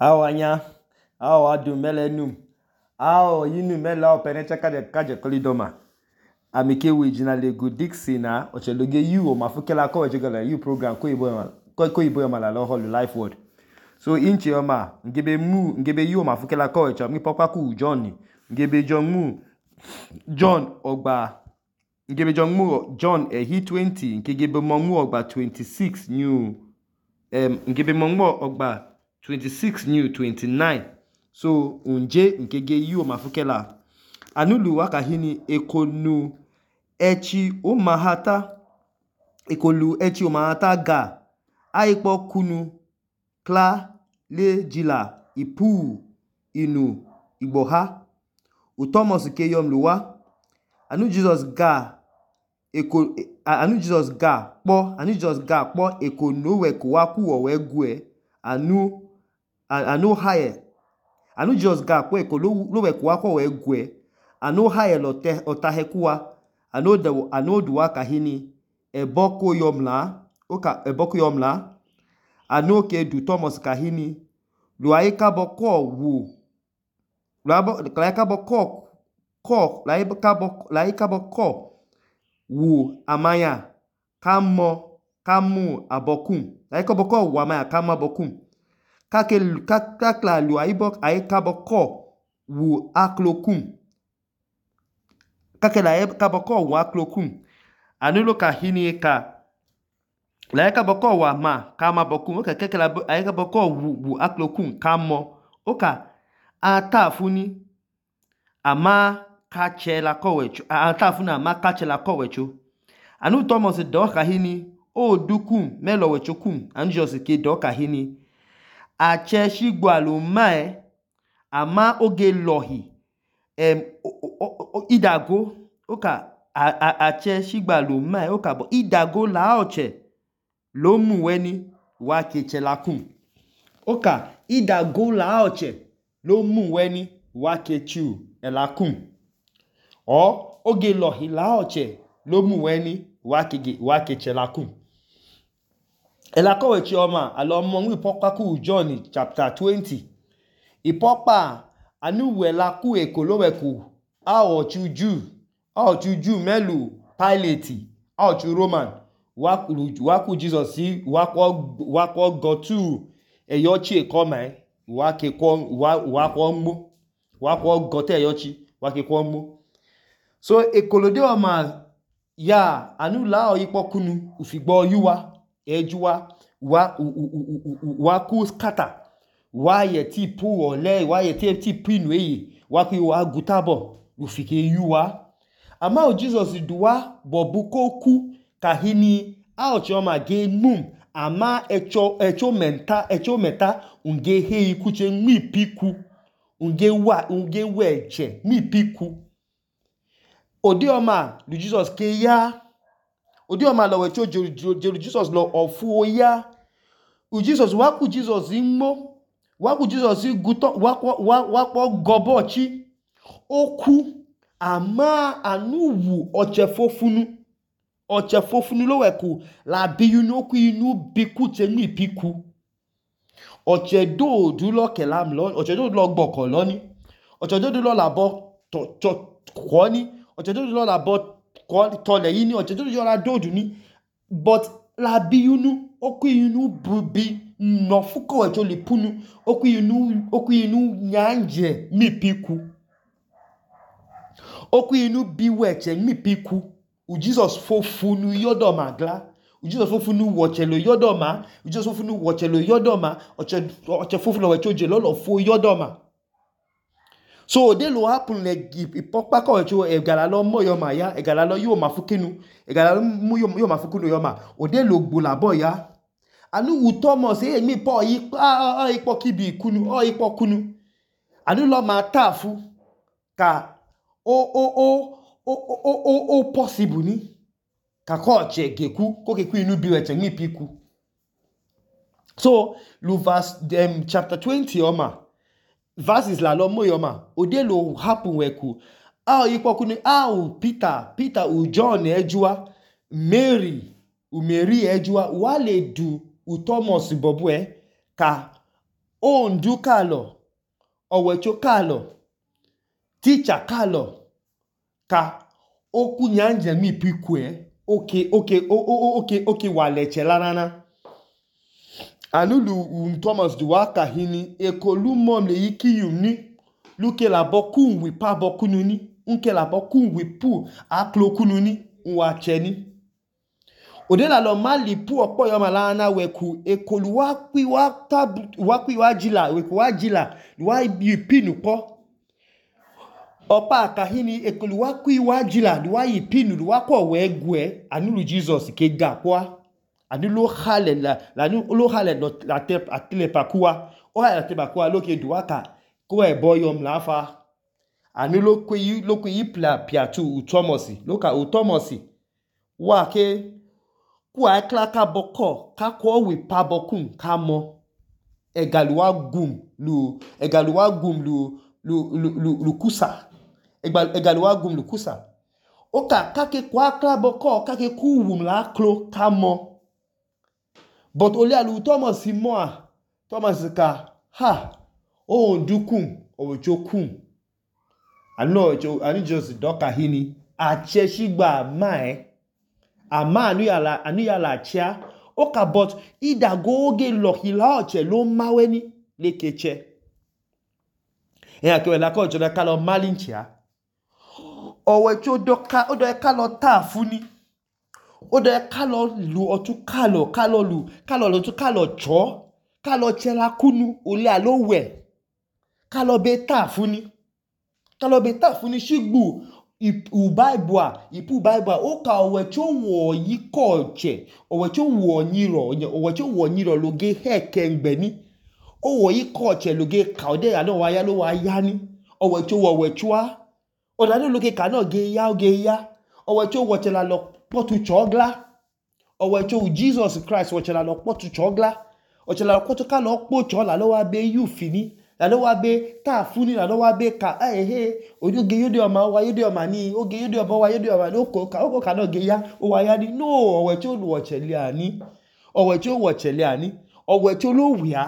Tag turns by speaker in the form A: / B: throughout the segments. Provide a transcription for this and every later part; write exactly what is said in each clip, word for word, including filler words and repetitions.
A: Awo anya, awo adu mele num, awo yinu mele awo penecha kaje kaje kolidoma. Amike wijina lego Dixie na ocheloge you o mafukela ko ejogala you program ko ibo yoma ko ko ibo yoma la lo hall life word. So inchi yoma ngebe mu ngebe you o mafukela ko echo mi pokwa ku John ngebe John mu John ogba ngebe John mu John ehi twenty ngebe mo mu ogba twenty-six new um ngebe mo mu ogba twenty-six new twenty-nine. So unje nkege you o mafukela anulu wakahini ekonu echi umahata ekolu echi umahata ga aipo kunu kla le jila ipu inu igboha utomos ke yom luwa anu Jesus ga eko anu Jesus ga po anu Jesus ga po ekonu we ko wa ku o we gue anu anu haye anu Jesus ga po ekolu lo we ko wa ko we gue anu haye lo te otahekuwa anu de anu duwa kahini eboko yomla oka eboko yomla anu ke du Thomas kahini luaika boko wu luabo laika boko ko laika boko laika boko wu amaya kamo kamu abokum laika boko wu amaya kama abokum kake kakla luaibo aika boko wu aklokum kake la kaboko wa klokum anulo kahini ka la kaboko wa ma kama bokum oka kake la aika boko wu, wu aklokum kamo oka atafuni ama kache la kowecho atafuni ama kache la kowecho anu Thomas do kahini o dukum melo wechokum anu Jesus ke do kahini ache shigwalu mae ama oge lohi em idago oka ache shigbalu mai oka bo idago la oche lo mu weni wa keche lakum oka idago la oche lo mu weni wa kechu elakum o oge lohi la oche lo mu weni wa kege wa keche lakum elako wechi oma alo mo nwi pokwa ku John chapter twenty ipopa anu we la ku ekoloweku awo chuju awo chuju melu Pilate awo chu Roman waku waku Jesus si wako wako go to eyochi ekoma wake ko wako mu wako go te eyochi wake ko mu so ekolode oma ya anu la oyipokunu ufigbo yuwa ejuwa wa waku scatter wa ye ti pu ole wa ye ti ti pinu eyi wa ku wa gutabo ufike yuwa ama o Jesus duwa bobuko ku kahini a o choma ge mum ama echo echo menta echo meta unge he ikuche mi piku unge wa unge weche mi piku odioma lu Jesus ke ya odioma lo wecho jeru Jesus lo ofu ya u Jesus wa ku Jesus imo wa ku Jesus guto wa wa wa gobochi oku ama anuwu ochefofunu ochefofunu lo weku la biyunu oku inu biku te ni piku ochedo du lo kelam lo ochedo lo gboko lo ni ochedo du lo labo to to ko ni ochedo du lo labo ko to le yi ni ochedo du lo dodu ni but la biyunu oku inu bubi no fuko echo le punu oku inu oku inu nyanje mi piku oku inu biweche mi piku u Jesus fofunu yodoma gla u Jesus fofunu wochelo yodoma u Jesus fofunu wochelo yodoma oche oche fofunu wechoje lolo fo yodoma so de lo happen le ipopa ko echo egala lo moyoma ya egala lo yo mafukinu egala lo mu yo mafukinu yoma ode lo gbolabo ya anu u Thomas e mi po yi ah ipo kibi kunu o ipo kunu anu lo ma tafu ka o o o o o o o possible ni ka ko che geku ko keku inu biweche mi piku so lu verse um, chapter twenty oma verses la lo moyoma ode lo happen weku a ipo kunu a u Peter Peter u John ejua Mary u Mary ejua wale du u Thomas bobwe ka ondu kalo owecho kalo teacher kalo ka oku nyanje mi pikwe oke oke oke oke waleche lanana anulu um, Thomas duwaka hini ekolu mom le yiki yumni luke la boku wi pa boku nuni unke la boku wi pu aklo kununi nwacheni odela lo mali pu opo yo malana weku ekolu wa kwi wa tab wa kwi wa jila weku wa jila wa yipinu po opa kahini ekolu wa kwi wa jila wa yipinu wa ko we gwe anulu Jesus ke gapwa anulu hale la la lo hale la te atile pakua o hale te pakua loke duwaka ko e boyom lafa anulu kwi lo kwi pla piatu Thomas loka u Thomas wa ke kwa klaka boko ka ko wi pa bokun ka mo egaluwa gum lu egaluwa gum lu lu lu lu kusa egaluwa gum lu kusa oka kake kwa kla boko kake ku wum la klo ka mo but ole alu Thomas mo Thomas ka ha o ndukum o jokum ano jo ani just doka hini a cheshigba mai ama anu yala anu yala chia oka but ida goge lohila oche lo maweni lekeche e akewe la ko joda kalo malinchia owecho doka odo e kalo tafuni odo e kalo lu otu kalo kalo lu kalo lu tu kalo cho kalo chela kunu ole alowe kalo be tafuni kalo be tafuni shigbu ipu Bible ipu Bible oka owecho wo yikoche owecho wo nyiro owecho wo nyiro loge heke ngbeni owo yikoche loge kaude ya no wa ya lo wa ya ni owecho wo wechua odade loge ka no ge ya oge ya owecho wo chela lo potu chogla owecho Jesus Christ wo chela lo potu chogla o chela lo potu ka lo po chola lo wa be you fini la lo wa be ta funi la lo wa be ka eh eh oge yode o ma wa yode o ma ni oge yode o ba wa yode o ma no ko ka o ka no ge ya o wa ya ni no owecho wo chele ani owecho wo chele ani owecho lo wia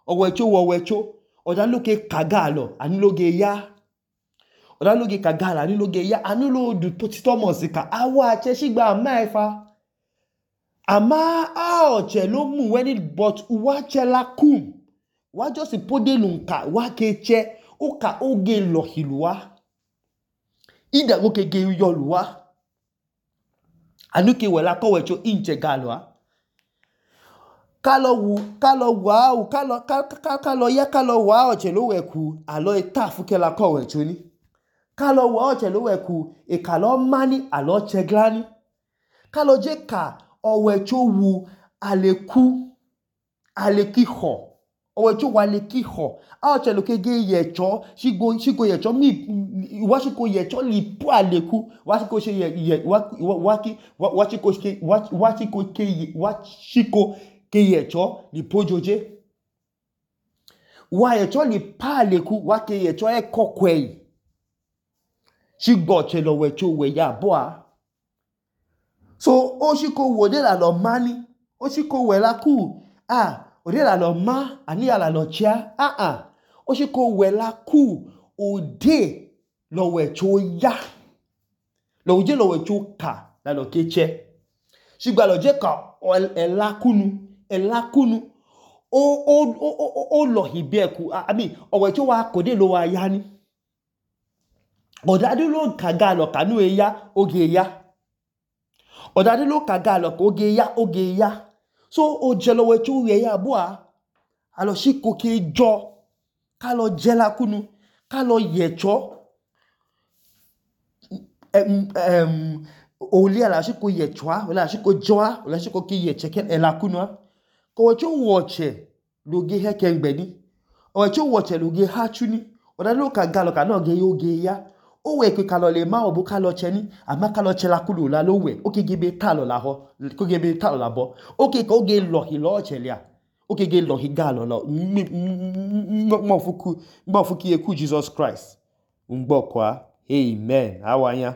A: owecho wo wecho oda loke kagalo ani loge ya oda loge kagalo ani loge ya ani lo du Thomas ka awa che shigba maifa ama a oche lo mu weni but wa chela kum wa just pode lunka wa keche oka oge lohilwa ida goke ge yoluwa anuke wela ko wecho inche galwa kalo wu kalo wa kalo kalo ya kalo wa oche lo weku alo etafu ke la ko wecho ni kalo wa oche lo weku e kalo mani alo cheglani kalo je ka owecho wu aleku alekiho owecho wa alekiho a oche lo ke ge yecho shigo shigo yecho mi wa shiko yecho li pu aleku wa shiko she ye wa wa ki wa shiko ke wa shiko ke wa shiko ke yecho li pojoje wa yecho li pa aleku wa ke yecho e kokwei shigbo che lo wecho we ya boa so o shiko wo de la lo mani o shiko we la ku ah ode la lo ma ani ala lo chia ah ah o shiko we la ku ode lo wecho ya lo je lo wecho ka la lo keche shigba lo je ka ela kunu ela kunu o o o o lo hibeku I mean owecho wa kode lo wa ya ni odade lo kaga lo kanu e ya oge ya odade lo kaga lo oge ya oge ya so o jelo wecho ye ya boa alo shiko ke jo ka lo jela kunu ka lo yecho em em oli ala shiko yechwa ola shiko joa ola shiko ke yeche ke ela kunu ko wecho woche loge heke ngbeni wecho woche loge hachuni odade lo kaga lo kana oge oge ya o we ke kalo le ma obu kalo cheni ama kalo chela kulu la lo we o ke gebe talo la ho ko gebe talo la bo o ke ko ge lo hi lo chelia o ke ge lo hi galo lo mo fuku mo fuki eku Jesus Christ ngbo kwa amen awanya